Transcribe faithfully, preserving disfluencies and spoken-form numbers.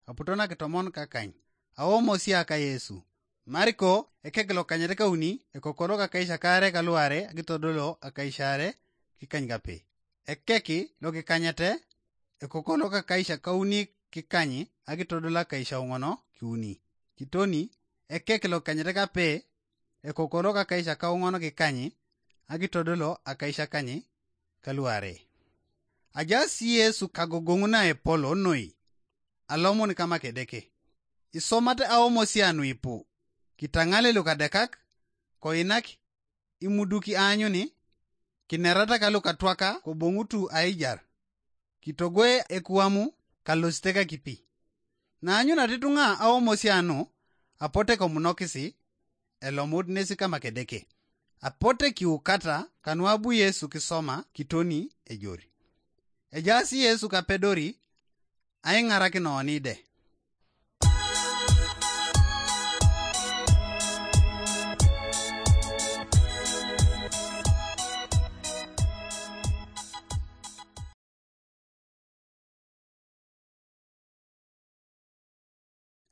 aputo nakitomon kakany, aomosia ka Yesu. Mariko ekek lokanyet kauni, ekoko lokakaisakare kaluare akitodolo akaisare kikany kape. Ekek lokikanyete, ekoko lokakaisakauni kikany akitodolo akaisauŋono kiuni. Kitoni, ekek lokikanyete kape, ekoko lokakaisakauŋono kikany akitodolo akaisakany kaluare. Ajaas Yesu kagogoŋ naepolo noi, alomon kama Kedeke. Isomate aomosia nuipu, kitaŋale lukadekak, koinak imuduki aanyuni, kinerata ka lukatwaka koboŋutu aijar, kitogoe ekuamu kalosite kakipi. Naanyunat ituŋa aomosia nu, apote komunokisi, elomut nesi kama Kedeke. Apote kiukata kanuabu Yesu kisoma kitoni ejori. Ejaas Yesu kapedori aiŋarakin oni de.